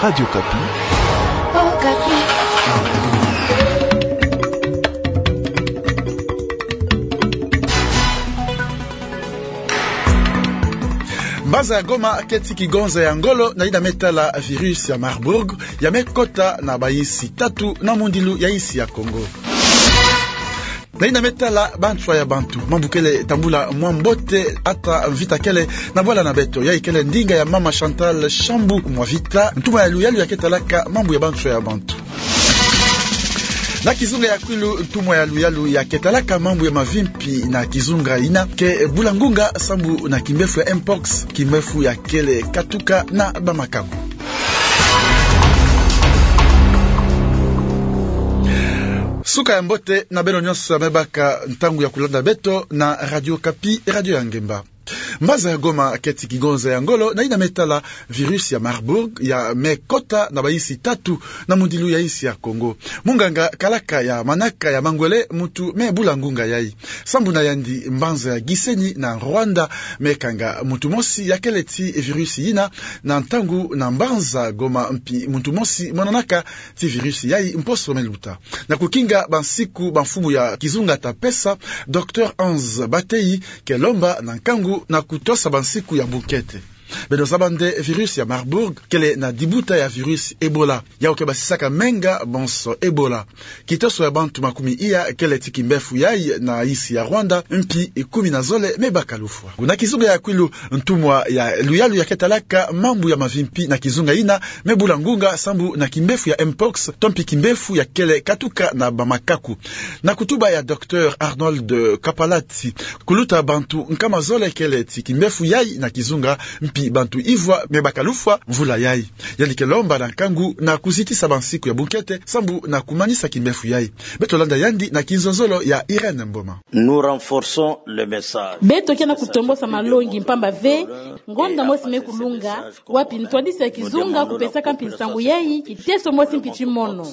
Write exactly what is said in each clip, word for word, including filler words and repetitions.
Radio Okapi. Okapi. Mbanza ya Goma keti kigonza ya ngolo na yina me tala virus ya Marburg, ya me kota na bayinsi tatu na mundilu ya yinsi ya Kongo. Na yina me tala banswa ya bantu, mambu kele tambula mwa mbote ata mvita kele na bwala na beto. Yayi kele ndinga ya mama Chantal Shambu Mwavita, ntumwa ya luyalu ya ke talaka mambu ya banswa ya bantu. Na kizunga ya kwilu, ntumwa ya luyalu ya ke talaka mambu ya mavimpi na kizunga yina ke bula ngunga sambu na kimbefu ya mpox, kimbefu ya kele katuka na bamakaku. Suka ya mbote na beno nyonso ya me baka ntangu ya kulanda beto na Radio Okapi, radio ya ngemba. Mbanza ya Goma keti kigonza ya ngolo na yina me tala virus ya Marburg, ya me kota na bayinsi tatu na mundilu ya yinsi ya Kongo. Munganga kalaka ya manaka ya mangwele muntu me bula ngunga yayi. Sambu na yandi, mbanza ya Gisenyi na Rwanda me kanga muntu mosi ya kele ti virus yina, na ntangu na mbanza Goma mpi muntu mosi monanaka ti virus yayi mposo me luta. Na kukinga bansiku bamfumu ya kizunga ta pesa, Docteur Hans Bateyi ke lomba na nkangu na kutosa bansiku ya bunkete. Beno zaba nde virus ya Marburg kele na dibuta ya virus Ebola, yawu ke basisaka menga bonso Ebola. Kitoso ya bantu makumi iya kele ti kimbefu yayi na yinsi ya Rwanda, mpi kumi na zole me baka lufwa. Na kizunga ya kwilu, ntumwa ya luyalu ya ke talaka mambu ya mavimpi na kizunga yina me bula ngunga sambu na kimbefu ya mpox, to mpi kimbefu ya kele katuka na bamakaku. Na kutuba ya Docteur Arnold Kapalati, kuluta bantu nkama zole kele ti kimbefu yayi na kizunga, mpi bantu ivwa me baka lufwa mvula yayi. Yandi ke lomba na nkangu na kuzitisa bansiku ya bunkete sambu na kumanisa kimbefu yayi. Beto landa yandi na kinzonzolo ya Irène Mboma. Nous renforçons le message. Beto ke na kutombosa malongi mpamba ve, ngonda mosi me kulunga, wapi ntwadisi ya kizunga kupesaka mpi nsangu yayi, kiteso mosi mpi ti mono.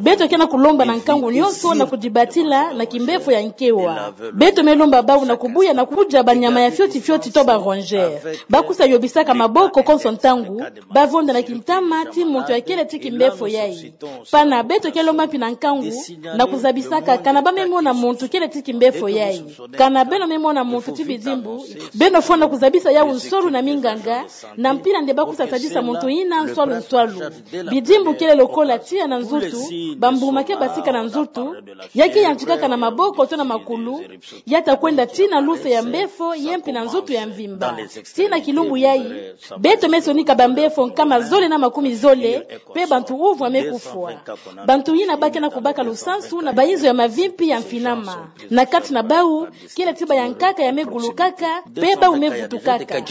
Beto ke na kulomba na nkangu nyonso na kudibatila na kimbefu ya nkewa. Beto me lomba bawu na kubuya na kudia banyama ya fioti fioti to ba rongeur. Bakusa yobisaka maboko konso ntangu, bavonda na kintama ti muntu ya kele ti kimbefu yayi. Pana beto ke lomba mpi na nkangu na kuzabisaka kana ba me mona muntu kele ti kimbefu yayi. Kana beno me mona muntu ti bidimbu, beno fwana kuzabisa yawu nswalu na minganga, na mpila nde bakusa sadisa muntu yina nswalu nswalu. Bidimbu kele lokola tiya na nzutu, bambuma ke basika na nzutu, ya ke yantikaka na maboko to na makulu, ya ta kwenda tii na luse ya mbefo, ye mpi na nzutu ya mvimba. Tii na kilumbu yayi, beto me sonika bambefo nkama zole na makumi zole, pe bantu uvwa me kufwa. Bantu yina ba ke na kubaka lusansu na bayinzo ya mavimpi ya mfinama. Na kati na bawu, kele ti bayankaka ya me gulukaka, pe bawu me vutukaka.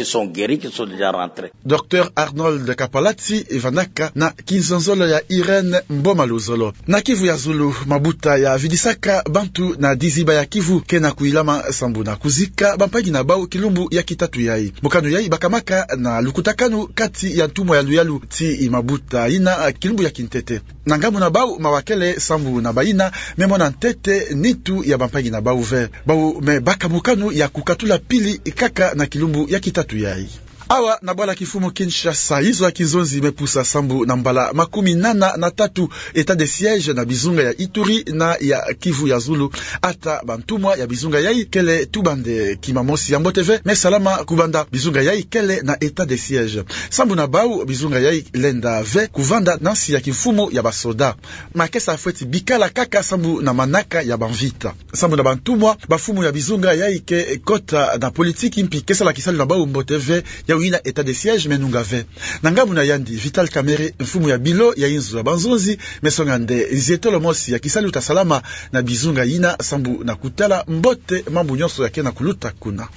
Docteur Arnold Kapalati vandaka na kinzonzolo ya Irène Mboma Luzolo. Na Kivu ya Zulu, mabuta ya vidisaka bantu na diziba ya Kivu ke na kuyilama sambu na kuzika bampangi na bawu kilumbu ya kitatu yayi. Mokano yayi bakamaka na lukutakanu kati ya ntumwa ya luyalu ti mabuta yina kilumbu ya kintete. Na ngambu na bawu mawa kele sambu na bayina me mona ntete nitu ya bampangi na bawu ve. Bawu me baka mokano ya kukatula pili kaka na kilumbu ya kitatu yayi. Awa na bwala kimfumu Kinshasa, yizo ya kinzonzi me pusa sambu na mbala makumi nana na tatu état de siège na bizunga ya Ituri na ya Kivu ya Zulu. Ata bantumwa ya bizunga yayi kele tuba nde kima mosi ya mbote ve me salama kubanda bizunga yayi kele na état de siège. Sambu na bawu bizunga yayi lenda ve kuvanda na nsi ya kimfumu ya basoda. Makesa fweti bikala kaka sambu na manaka ya bamvita. Sambu na bantumwa, bamfumu ya bizunga yayi ke kota na politiki mpi ke sala kisalu na bawu mbote ve, yawu yina état de siège me nunga ve. Na ngambu na yandi, Vital Kamerhe, mfumu ya bilo ya inzo ya banzonzi, me songa nde nzietolo mosi ya kisalu ta salama na bizunga yina sambu na kutala mbote mambu nyonso ya ke na kuluta kuna.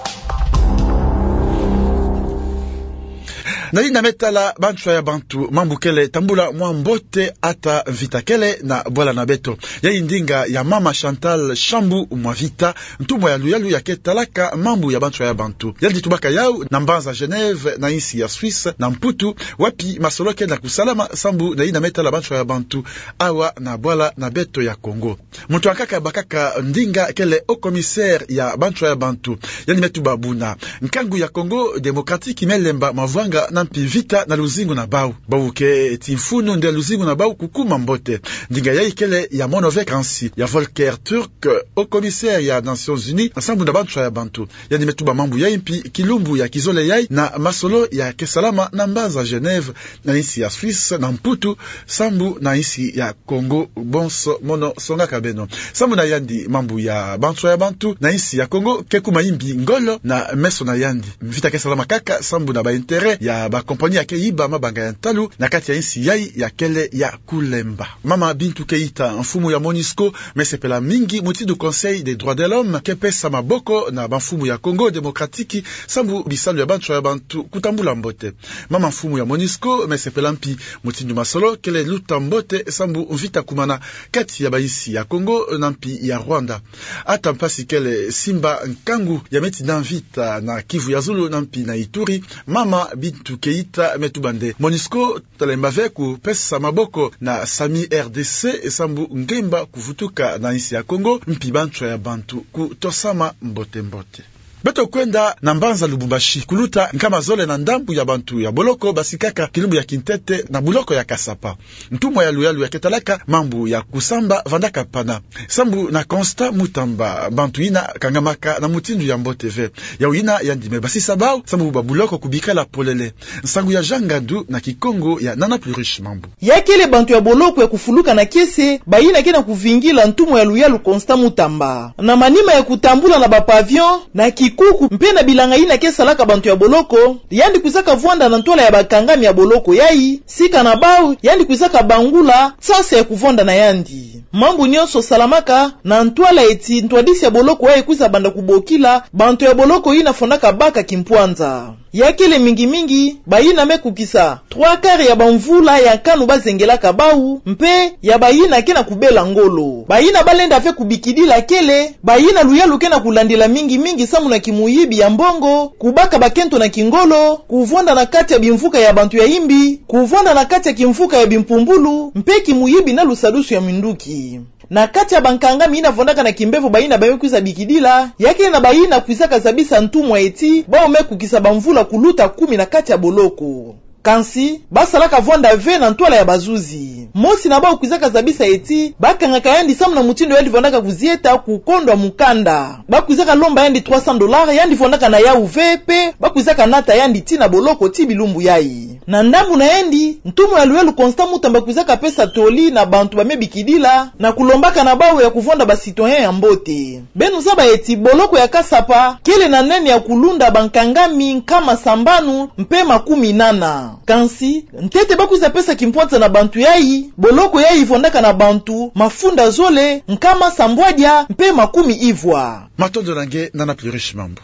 Na yina me tala banswa ya bantu, mambu kele tambula mwa mbote ata mvita kele na bwala na beto. Yayi ndinga ya mama Chantal Shambu Mwavita, ntumwa ya luyalu ya ke talaka mambu ya banswa ya bantu. Yandi tubaka yawu na mbanza Genève na insi ya Suisse na Mputu, wapi masolo ke na kusalama sambu na yina me tala banswa ya bantu awa na bwala na beto ya Kongo. Muntu ankaka bakaka ndinga kele haut commissaire ya banswa ya bantu. Yandi me tuba buna nkangu ya Congo Démocratique me lemba mavwanga na mpi mvita na luzingu na bau. Bau ke ti mfunu nde luzingu na bau kukuma mbote. Ndinga yai kele ya mono ve kansi ya Volker Türk, haut commissaire ya Nations Unies sambu na banchwa ya bantu. Yandi me tuba mambu yai mpi kilumbu ya kizole yai na masolo ya ke salama na mbanza Genève na insi ya Suisse na Mputu, sambu na insi ya Congo. Bonso mono songaka beno. Sambu na yandi, mambu ya banchwa ya bantu na insi ya Congo ke kuma imbi ngolo na meso na yandi. Mvita ke salama kaka sambu na ba intérêt ya ba compagnie ya ke yiba mabanga ya ntalu na kati ya insi yai ya kele ya kulemba. Mama Bintou Keita, mfumu ya MONUSCO, me sepela mingi mutindu Conseil des droits de l'homme ke pesa maboko na bamfumu ya Congo Démocratique sambu bisalu ya banchwa ya bantu kutambula mbote. Mama mfumu ya MONUSCO me sepela mpi mutindu masolo kele luta mbote sambu mvita kumana kati ya bainsi ya Congo na mpi ya Rwanda. Ata mpasi kele simba nkangu ya me tinda mvita na Kivu ya Zulu na mpi na Ituri, mama Bintou Keita me tuba nde MONUSCO talemba ve kupesa maboko na SAMU RDC sambu ngemba kuvutuka na insi ya Congo mpi banchwa ya bantu kutosama mbote mbote. Beto kwenda na mbanza Lubumbashi kuluta nkama zole na ndambu ya bantu ya boloko basikaka kilumbu ya kintete na boloko ya Kasapa. Ntumwa ya luyalu ya ke talaka mambu ya kusamba vandaka pana. Sambu na Constant Mutamba, bantu yina kangamaka na mutindu ya mbote ve. Yau yina yandi me basisa bau sambu ba boloko kubikala polele. Nsangu ya Jean Ngandu na Kikongo ya Nana Pluriche Mambu. Ya kele bantu ya boloko ya kufuluka na kiese, bayina ke na kuvingila ntumwa ya luyalu Constant Mutamba. Na manima ya kutambula na ba pavillon, na kikuku, mpe na bilanga yina ke salaka bantu ya boloko, yandi kwizaka vwanda na ntwala ya bakangami ya boloko yai, sika na bau, yandi kwizaka bangula nsasa ya kuvwanda na yandi. Mambu nyonso salamaka na ntwala eti ntwadisi ya boloko yai kwiza banda kubokila bantu ya boloko yina fondaka baka kimpwanza. Ya kele mingimingi bayina me kukisa trois quarts ya bamvula ya nkanu bazengelaka bau, mpe ya bayina ke na kubela ngolo. Bayina balenda ve kubikidila kele bayina luyalu ke na kulandila mingimingi samu na kimuyibi ya mbongo, kubaka bakento na kingolo, kuvwanda na kati ya bimvuka ya bantu ya imbi, kuvwanda na kati ya kimvuka ya bimpumbulu, mpe kimuyibi na lusadusu ya minduki. Na kati ya bankangami yina vwandaka na kimbevo bayina bau me kwiza bikidila, ya kele na bayina kwizaka zabisa ntumwa eti bau me kukisa bamvula kuluta kumi na kati ya boloko. Kansi, basalaka vwanda ve na ntwala ya bazuzi. Mosi na bau kwizaka zabisa eti bakangaka yandi samu na mutindu yandi vwandaka kuzieta kukondwa mukanda. Bakwizaka lomba yandi trois cents dollars, yandi vwandaka na yau ve, mpe bakwizaka nata yandi tii na boloko tii bilumbu yai. Na ndambu na yandi, ntumwa ya luyalu Constant Mutamba kwizaka pesa toli na bantu ba me bikidila, na kulombaka na bau ya kuvwanda ba citoyen ya mbote. Beno zaba eti boloko ya Kasapa kele na nene ya kulunda bankangami nkama sambanu mpe makumi nana. Kansi, ntete bakwiza pesa kimpwanza na bantu yai, boloko yai vwandaka na bantu mafunda zole, nkama sambwadia mpe makumi ivwa. Matondo na nge, Nana Pluriche Mambu.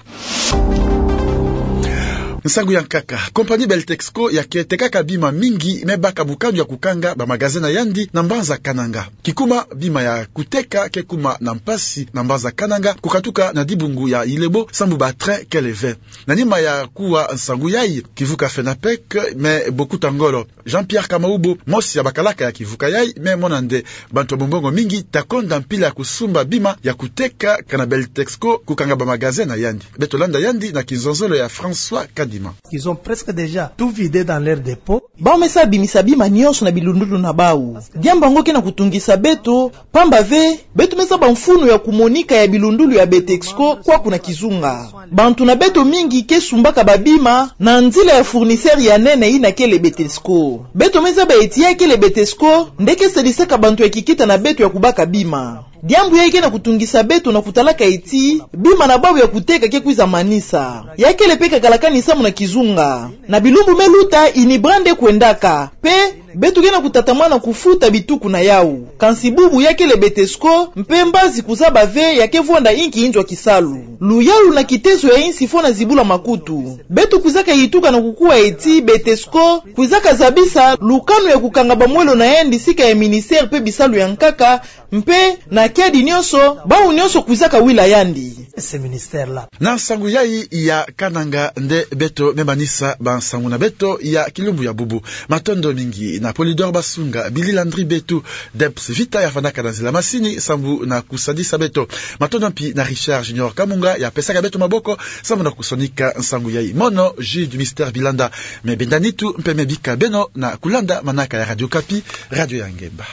Nsangu ya nkaka. Compagnie Beltexco ya ke tekaka bima mingi me baka mukanu ya kukanga ba magasin na yandi na mbanza Kananga. Kikuma bima ya kuteka ke kuma na mpasi na mbanza Kananga kukatuka na dibungu ya Ilebo sambu ba train kele ve. Na nima ya kuwa nsangu yai, kivuka FENAPEC me bokuta ngolo. Jean-Pierre Kamaubo, mosi ya bakalaka ya kivuka yai, me mona nde bantu ya mumbongo mingi ta konda mpila ya kusumba bima ya kuteka kana Beltexco kukanga ba magasin na yandi. Beto landa yandi na kinzonzolo ya François Kadima. Ils ont presque déjà tout vidé dans leur dépôt. Bau me sa bimisa bima nyonso na bilundulu na bau. Diambu yango ke na kutungisa beto, pamba ve, beto me zaba mfunu ya kumonika ya bilundulu ya Beltexco kwaku na kizunga. Bantu na beto mingi ke sumbaka babima na nzila ya fournisseur ya nene yina kele Beltexco. Beto me zaba eti ya kele Beltexco nde ke sadisaka bantu ya kikita na beto ya kubaka bima. Diambu yai ke na kutungisa beto na kutalaka eti bima na bau ya kuteka ke kwiza manisa. Ya kele mpe kakalakani samu na kizunga. Na bilumbu me luta, Inibra nde kwendaka. Mpe beto ke na kutatamana kufuta bituku na yau. Kansi bubu ya kele Beltexco, mpe mbazi kuzaba ve ya ke vwanda inki inzo ya kisalu. Luyalu na kitezo ya insi fwana zibula makutu. Beto kwizaka yituka na kukuwa eti Beltexco kwizaka zabisa lukanu ya kukanga bamwelo na yandi sika ya ministère mpe bisalu ya nkaka, mpe na kiadi nyonso, bau nyonso kwizaka wila yandi. Ce ministère-là. Na nsangu yai ya Kananga nde beto me manisa bansangu na beto ya kilumbu ya bubu. Matondo mingi. Apollinaire Basunga, Billy Landry Betu, Debs Vita ya fandaka na nzila masini sambu na kusadisa beto. Matondo mpi na Richard Junior Kamunga ya pesaka beto maboko sambu na kusonika nsangu yai. Mono Jude Mister Bilanda me benda nitu mpe me bika beno na kulanda manaka ya Radio Okapi, radio ya ngemba.